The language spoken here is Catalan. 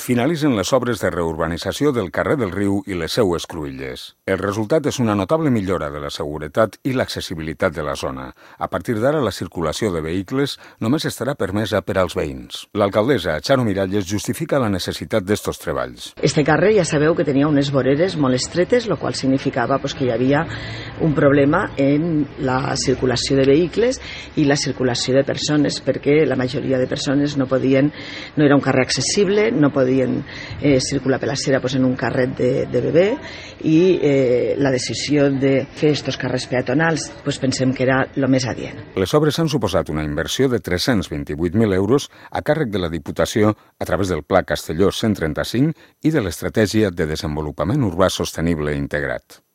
finalitzen les obres de reurbanització del carrer del Riu i les seues cruïlles. El resultat és una notable millora de la seguretat i l'accessibilitat de la zona. A partir d'ara, la circulació de vehicles només estarà permesa per als veïns. L'alcaldessa, Charo Miralles, justifica la necessitat d'estos treballs. Este carrer ja sabeu que tenia unes voreres molt estretes, el qual significava que hi havia un problema en la circulació de vehicles i la circulació de persones, perquè la majoria de persones no era un carrer accessible, no podien circular per la acera en un carret de bebè, i la decisió de fer aquests carrers peatonals pensem que era el més adient. Les obres han suposat una inversió de 328.000 euros a càrrec de la Diputació a través del Pla Castelló 135 i de l'Estratègia de Desenvolupament Urbà Sostenible Integrat.